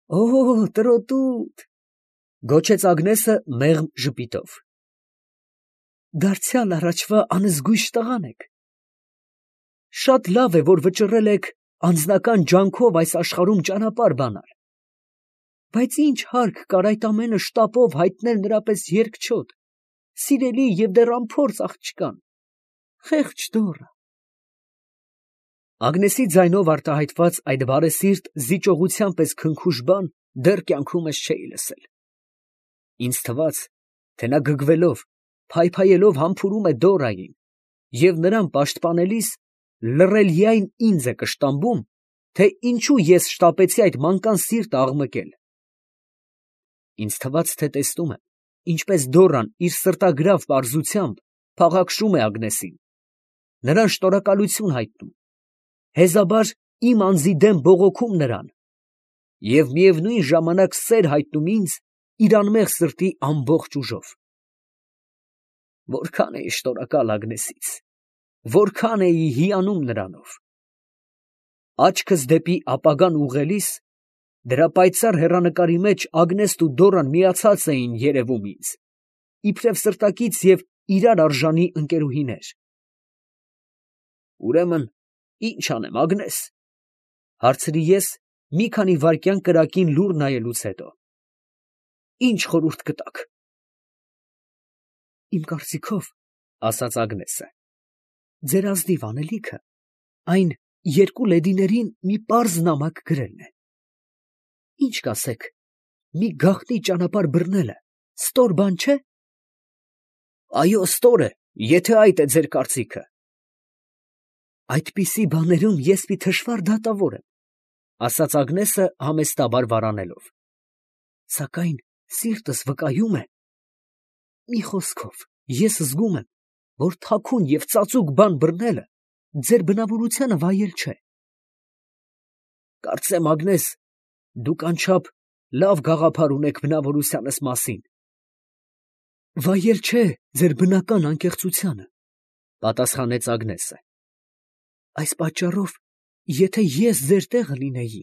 Օ, տրոտուտ, գոչեց Ագնեսը մեղմ ժպիտով։ Դարձյալ առաջվա անզգույշ տղան եք։ Շատ լավ է, որ վճռել եք անձնական ջանքով այս աշխարհում ճանապարհ բանալ։ Բայց ինչ հարկ կար այդ ամենը շտապով հայտնել նրա պես երկչոտ, սիրելի և դեռ անփորձ աղջկան, խեղճ դոռը։ Ագնեսի ձայնով արտահայտված այդ բարեսիրտ զիջողության պես քնքուշ բան դեռ կյանքումս չէի լսել։ Ինձ թվաց, թե նա գգվելով, փայփայելով համբուրում է Դորային, և նրան պաշտպանելիս լռելիայն ինձ է կշտամբում, թե ինչու ես շտապեցի այդ մանկան սիրտը աղմկել։ Ինձ թվաց, թե տեսնում եմ, ինչպես Դորան իր սրտագրավ պարզությամբ փաղաքշում է Ագնեսին, նրան շնորհակալություն հայտնում, հեզաբար իմ անձի դեմ բողոքում նրան և միևնույն ժամանակ սեր հայտնում ինձ իր անմեղ սրտի ամբողջ ուժով։ Որքան էի շնորհակալ Ագնեսից, որքան էի հիանում նրանով։ Աչքս դեպի ապագան ուղղելիս, դրա պայծառ հեռանկարի մեջ Ագնեսն ու Դորան միացած էին երևում ինձ, իբրև սրտակից և իրար արժանի ընկերուհիներ։ Ուրեմն, ի՞նչ անեմ, Ագնես, ֊ հարցրի ես մի քանի վայրկյան կրակին լուռ նայելուց հետո։ Ի՞նչ խորհուրդ կտաք։ Իմ կարծիքով, ֊ ասաց Ագնեսը, ֊ ձեր ազնիվ անելիքը այն երկու լեդիներին մի պարզ նամակ գրելն է։ Ինչ կասեք, մի գաղտնի ճանապարհ բռնելը ստոր բան չէ։ Այո, ստոր է, եթե այդ է ձեր կարծիքը։ Այդպիսի բաներում ես մի թշվառ դատավոր եմ, ֊ ասաց Ագնեսը համեստաբար վարանելով, ֊ սակայն սիրտս վկայում է։ Մի խոսքով, ես զգում եմ, որ թաքուն և ծածուկ բան բռնելը ձեր բնավորությանը վայել չէ։ Կարծեմ, Ագնես, դուք անչափ լավ գաղափար ունեք բնավորությանս մասին։ Վայել չէ ձեր բնական անկեղծությանը, ֊ պատասխանեց Ագնեսը։ Այս պատճառով, եթե ես ձեր տեղը լինեի,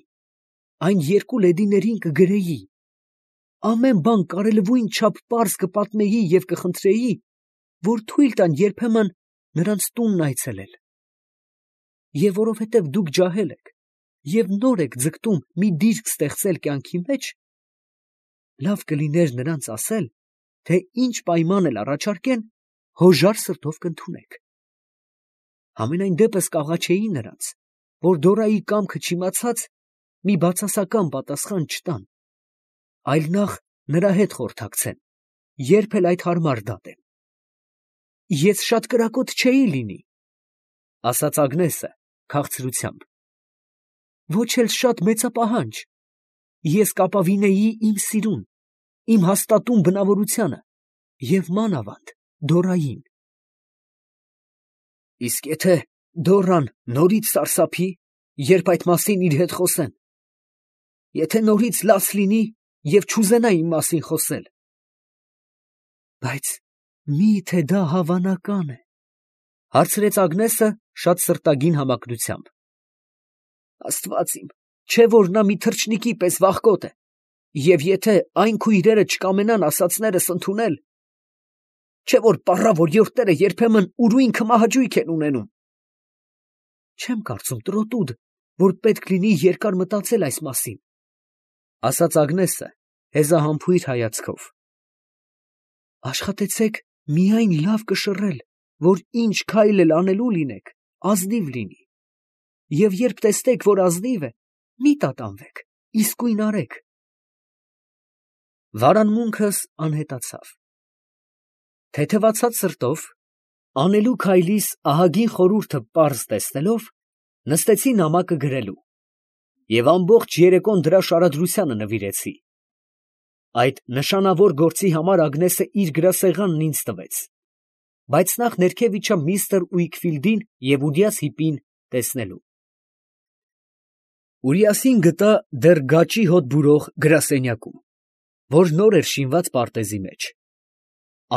այն երկու լեդիներին կգրեի, ամեն բան կարելիվույն չափ պարզ կպատմեի և կխնդրեի, որ թույլ տան երբեմն նրանց տունն այցելել։ Եվ որովհետև դուք ջահել եք և նոր եք ձգտում մի դիրք ստեղծել կյանքի մեջ, լավ կլիներ նրանց ասել, թե ինչ պայման էլ առաջարկեն, հոժար սրտով կընդունեք։ Համենայն դեպս կաղաչեի նրանց, որ Դորայի կամքը չիմացած, մի բացասական պատասխան չտան, այլ նախ նրա հետ խորհրդակցեն, երբ էլ այդ հարմար դատեն։ Ես շատ կրակոտ չէի լինի, ֊ ասաց Ագնեսը քաղցրությամբ, ոչ էլ շատ մեծապահանջ, ես կապավինեի իմ սիրուն, իմ հաստատուն բնավորությանը և մանավանդ Դորային։ Իսկ եթե Դորան նորից սարսափի, երբ այդ մասին իր հետ խոսեն, եթե նորից լաց լինի և չուզենա իմ մասին խոսել, բայց մի՞թե դա հավանական է, ֊ հարցրեց Ագնեսը շատ սրտագին համակրությամբ։ Աստված իմ, չէ՞ որ նա մի թռչնիկի պես վախկոտ է, և եթե այն քույրերը չկամենան ասածներս ընդունել, չէ՞ որ պառավ օրիորդները երբեմն ուրույն քմահաճույք են ունենում։ Չեմ կարծում, տրոտուդ, որ պետք լինի երկար մտածել այս մասին, ֊ ասաց Ագնեսը հեզահամբույր հայացքով։ Աշխատեցեք միայն լավ կշռել, որ ինչ քայլ էլ անելու լինեք, ազնիվ լինի, և երբ տեսնեք, որ ազնիվ է, մի տատանվեք, իսկույն արեք։ Վարանմունքս անհետացավ։ Թեթևացած սրտով, անելու քայլիս ահագին խորհուրդը պարզ տեսնելով, նստեցի նամակը գրելու և ամբողջ երեկոն դրա շարադրությանը նվիրեցի։ Այդ նշանավոր գործի համար Ագնեսը իր գրասեղանն ինձ տվեց, բայց նախ ներքև իջա միստր Ուիքֆիլդին և Ուրիաս հիպին տեսնելու։ Ուրիասին գտա դեռ գաճի հոտ բուրող գրասենյակում, որ նոր էր շինված պարտեզի մեջ։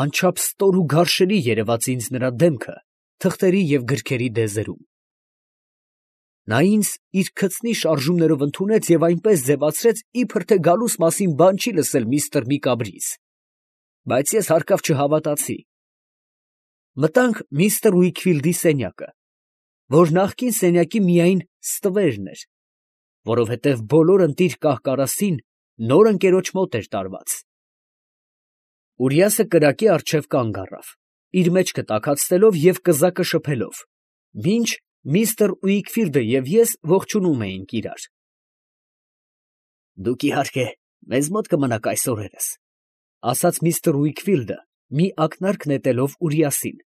Անչափ ստոր ու գարշելի երևաց ինձ նրա դեմքը թղթերի և գրքերի դեզերում։ Նա ինձ իր քծնի շարժումներով ընդունեց և այնպես ձևացրեց, իբր թե գալուս մասին բան չի լսել միստր Միկաբրից, բայց ես հարկավ չհավատացի։ Մտանք միստր Ուիքֆիլդի սենյակը, որ նախկին սենյակի միայն ստվերն էր, որովհետև բոլոր ընտիր կահ֊կարասին նոր ընկերոջ մոտ էր տարված։ Ուրիասը կրակի առջև կանգ առավ, իր մեջքը տաքացնելով և կզակը շփելով, մինչ միստր Ուիքֆիլդը և ես ողջունում էինք իրար։ «Դուք, իհարկե, մեզ մոտ կմնաք այս օրերս», ֊ ասաց միստր Ուիքֆիլդը, մի ակնարկ նետելով Ուրիասին,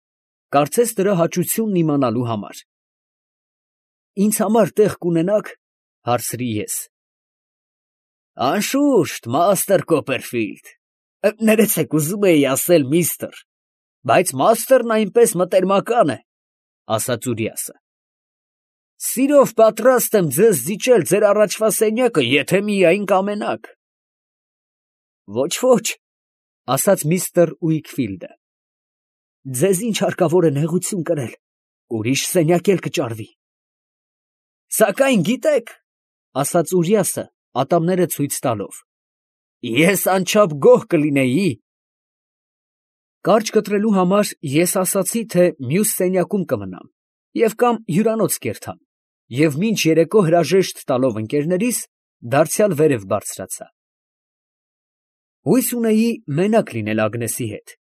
կարծես նրա հաճությունն իմանալու համար։ «Ինձ համար տեղ կունենա՞ք, ֊ հարցրի ես։ ֊ Անշուշտ, մաստր Կոպերֆիլդ, ներեցեք, ուզում էի ասել միստր, բայց մաստերն այնպես մտերմական է, ֊ ասաց Ուրիասը։ Սիրով պատրաստ եմ ձեզ զիջել ձեր առաջվա սենյակը, եթե միայն կամենաք։ Ոչ, ֊ ասաց միստր Ուիքֆիլդը, ձեզ ինչ հարկավոր է նեղություն կրել, ուրիշ սենյակ էլ կճարվի։ Սակայն գիտեք, ֊ ասաց Ուրիասը, ատամները ցույց տալով, ես անչափ գոհ կլինեի։ Կարճ կտրելու համար ես ասացի, թե մյուս սենյակում կմնամ և կամ հյուրանոց կերտամ, և մինչ երեկո հրաժեշտ տալով ընկերներիս, դարձյալ վերև բարձրացա։ Հույս ունեի մենակ լինել Ագնեսի հետ,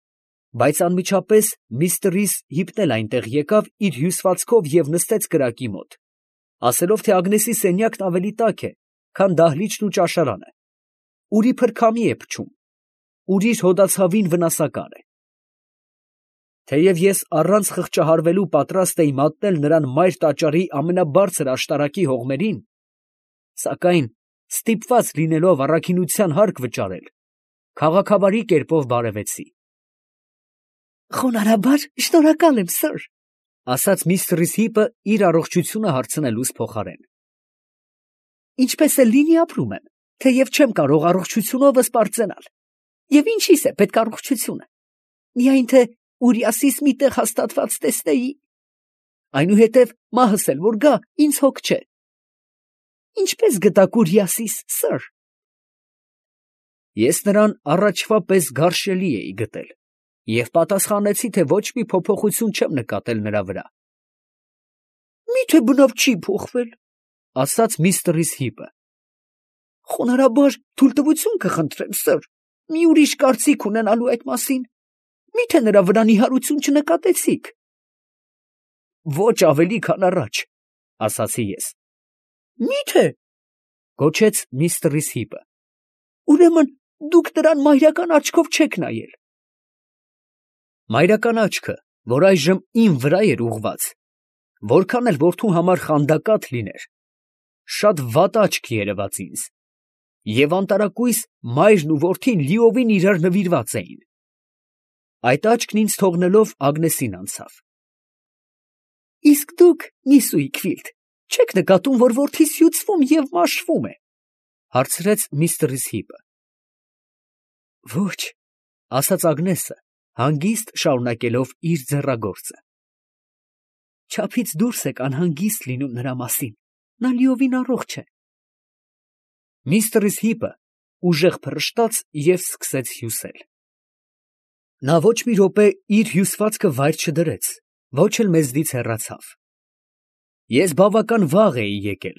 բայց անմիջապես միստր Հիպն էլ այնտեղ եկավ իր հյուսվածքով և նստեց կրակի մոտ, ասելով, թե Ագնեսի սենյակն ավելի տաք է, քան դահլիճն ու ճաշարանը, ուր իբր քամի է փչում, ուր իր հոդացավին վնասակար է։ Թեև ես առանց խղճահարվելու պատրաստ էի մատնել նրան մայր տաճարի ամենաբարձր աշտարակի հողմերին, սակայն ստիպված լինելով առաքինության հարկ վճարել, քաղաքավարի կերպով բարևեցի։ «Խոնարհաբար շնորհակալ եմ, սըր, ֊ ասաց միստր Հիպը իր առողջությունը հարցնելուս փոխարեն։ Ինչպես էլ լինի ապրում եմ, թեև չեմ կարող առողջությունովս պարծենալ, և ինչիս է պետք առողջությունը, միայն թե Ուրիասիս մի տեղ հաստատված տեսնեի, այնուհետև մահս էլ որ գա, ինձ հոգ չէ։ Ինչպես գտաք Ուրիասիս, սըր։ Ես նրան առաջվա պես գարշելի էի գտել և պատասխանեցի, թե ոչ մի փոփոխություն չեմ նկատել նրա վրա։ Մի՞թե բնավ չի փոխվել, ֊ ասաց միստր Հիպը։ Խոնարհաբար թույլտվություն կխնդրեմ, սըր, մի ուրիշ կարծիք ունենալու այդ մասին, մի՞թե նրա վրա նիհարություն չնկատեցիք։ Ոչ ավելի, քան առաջ, ֊ ասացի ես։ Մի՞թե, ֊ գոչեց միստր Հիպը, ուրեմն դուք նրան մայրական աչքով չեք նայել։ Մայրական աչքը, որ այժմ իմ վրա էր ուղղված, որքան էլ որդու համար խանդակատ լիներ, շատ վատ աչք երևաց ինձ, և անտարակույս մայրն ու որդին լիովին իրար նվիրված էին։ Այդ աչքն ինձ թողնելով Ագնեսին անցավ։ Իսկ դուք, միս Ուիքֆիլդ, չեք նկատում, որ որդիս հյուծվում և մաշվում է, ֊ հարցրեց միստր Հիպը։ Ոչ, ֊ ասաց Ագնեսը, հանգիստ շարունակելով իր ձեռագործը։ Չափից դուրս եք անհանգիստ լինում նրա մասին, նա լիովին առողջ է։ Միստր Հիպը ուժեղ փռշտաց և սկսեց հյուսել։ Նա ոչ մի րոպե իր հյուսվածքը վայր չդրեց, ոչ էլ մեզնից հեռացավ։ Ես բավական վաղ էի եկել,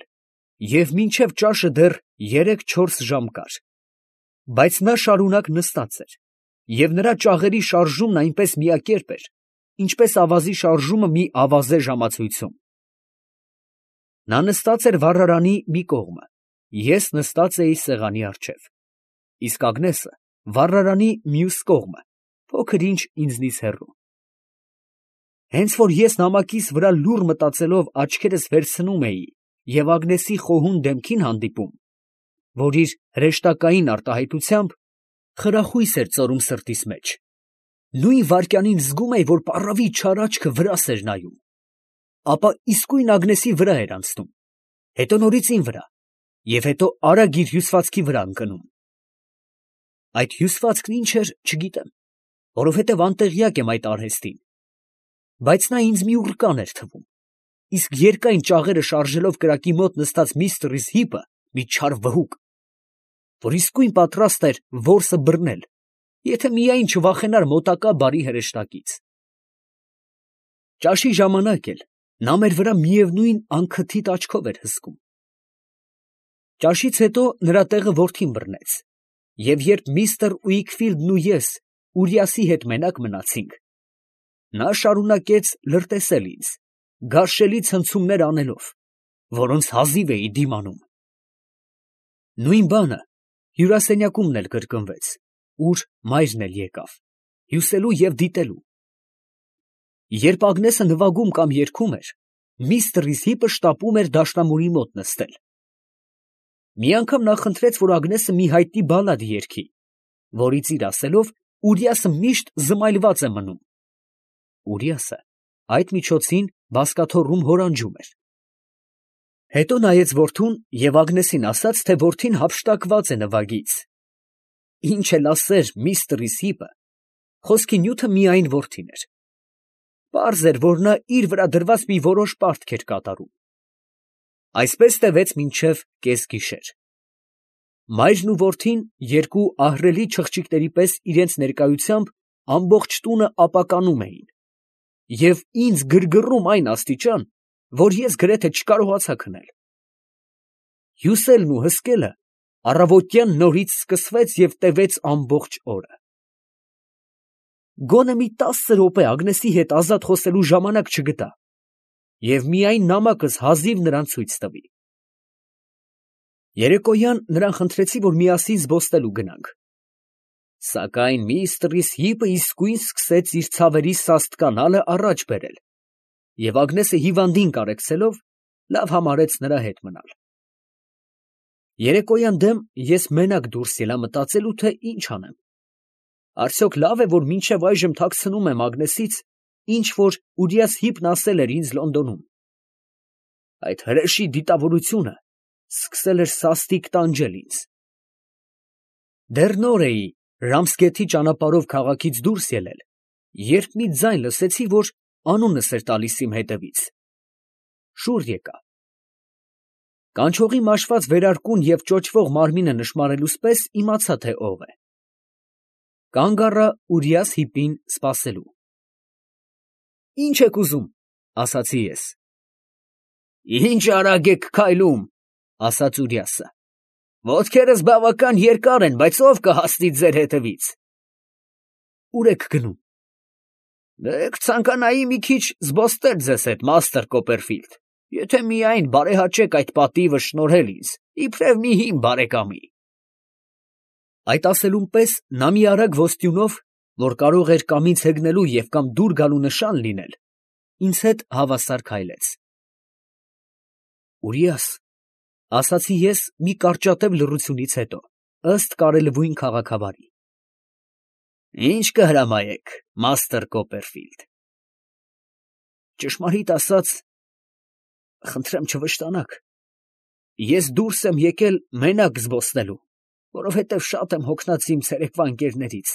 և մինչև ճաշը դեռ 3-4 ժամ կար, բայց նա շարունակ նստած էր, և նրա ճաղերի շարժումն այնպես միակերպ էր, ինչպես ավազի շարժումը մի ավազե ժամացույցում։ Նա նստած էր վառարանի մի կողմը, ես նստած էի սեղանի առջև, իսկ Ագնեսը վառարանի մյուս կողմը, փոքր ինչ ինձնից հեռու։ Հենց որ ես նամակիս վրա լուռ մտածելով աչքերս վերցնում էի և Ագնեսի խոհուն դեմքին հանդիպում, որ իր հրեշտակային արտահայտությամբ խրախույս էր ծորում սրտիս մեջ, նույն վայրկյանին զգում էի, որ պառավի չար աչքը վրաս էր նայում, ապա իսկույն Ագնեսի վրա էր անցնում, հետո նորից իմ վրա և հետո արագ իր հյուսվածքի վրա ընկնում։ Այդ հյուսվածքն ինչ էր, չգիտեմ, որովհետև անտեղյակ եմ այդ արհեստին, բայց նա ինձ մի ուռկան էր թվում, իսկ երկայն ճաղերը շարժելով կրակի մոտ նստած միստր Հիպը մի չար վհուկ, որ իսկույն պատրաստ էր որսը բռնել, եթե միայն չվախենար մոտակա բարի հրեշտակից։ Ճաշի ժամանակ էլ նա մեր վրա միևնույն անքթիթ աչքով էր հսկում։ Ճաշից հետո նրա տեղը որդին բռնեց, և երբ միստր Ուիքֆիլդն ու ես Ուրիասի հետ մենակ մնացինք, նա շարունակեց լրտեսել ինձ, գարշելի ցնցումներ անելով, որոնց հազիվ էի դիմանում։ Նույն բանը հյուրասենյակումն էլ կրկնվեց, ուր մայրն էլ եկավ, հյուսելու և դիտելու։ Երբ Ագնեսը նվագում կամ երգում էր, միստր Հիպը շտապում էր դաշնամուրի մոտ նստել։ Մի անգամ նա խնդրեց, որ Ագնեսը մի հայտնի բալլադ երգի, որից իր ասելով Ուրիասը միշտ զմայլված է մնում։ Ուրիասը այդ միջոցին բազկաթոռում հորանջում էր։ Հետո նայեց որդուն և Ագնեսին ասաց, թե որդին հափշտակված է նվագից։ Ինչ էլ ասեր միստր Հիպը, խոսքի նյութը միայն որդին էր։ Պարզ էր, որ նա իր վրա դրված մի որոշ պարտք էր կատարում։ Այսպես տևեց մինչև կեսգիշեր։ Մայրն ու որդին երկու ահռելի չղջիկների պես իրենց ներկայությամբ ամբողջ տունը ապականում էին և ինձ գրգռում այն աստիճան, որ ես գրեթե չկարողացա քնել։ Հյուսելն ու հսկելը առավոտյան նորից սկսվեց և տևեց ամբողջ օրը։ Գոնե մի 10 րոպե Ագնեսի հետ ազատ խոսելու ժամանակ չգտա և միայն նամակս հազիվ նրան ցույց տվի։ Երեկոյան նրան խնդրեցի, որ միասին զբոսնելու գնանք։ Սակայն միստր Հիպը իսկույն սկսեց իր ցավերի սաստկանալը առաջ բերել, և Ագնեսը հիվանդին կարեկցելով, լավ համարեց նրա հետ մնալ։ Երեկոյան դեմ ես մենակ դուրս ելա մտածելու, թե ինչ անեմ։ Արդյոք լավ է, որ մինչև այժմ թաքցնում եմ Ագնեսից, ինչ որ Ուրիաս Հիպն ասել էր ինձ Լոնդոնում։ Այդ հրեշի դիտավորությունը սկսել էր սաստիկ տանջել ինձ։ Դեռ նոր էի Ռամսգեթի ճանապարհով քաղաքից դուրս ելել, երբ մի ձայն լսեցի, որ անունս էր տալիս իմ հետևից։ Շուռ եկա։ Կանչողի մաշված վերարկուն և ճոճվող մարմինը նշմարելուց պես իմացա, թե ով է։ Կանգ առա Ուրիաս Հիպին սպասելու։ «Ինչ եք ուզում», ասացի ես։ «Ինչ արագ եք քայլում», ասաց Ուրիասը։ «Ոտքերս բավական երկար են, բայց ով կհասնի ձեր հետևից»։ «Ուր եք գնում»։ «Կցանկանայի մի քիչ զբոսնել ձեզ հետ, մաստր Կոպերֆիլդ, եթե միայն բարեհաճեք այդ պատիվը շնորհել ինձ, իբրև մի հին բարեկամի»։ Այդ ասելուն պես նա մի արագ ոստյունով, որ կարող էր կամ ինձ հեգնելու և կամ դուր գալու նշան լինել, ինձ հետ հավասար քայլեց։ «Ուրիաս», ասացի ես մի կարճատև լռությունից հետո, ըստ կարելույն քաղաքավարի, «Ինչ կհրամայեք, մաստր Կոպերֆիլդ»։ Ճշմարիտ ասած, խնդրեմ չվշտանաք, ես դուրս եմ եկել մենակ զբոսնելու, որովհետև շատ եմ հոգնած իմ ցերեկվա ընկերներից։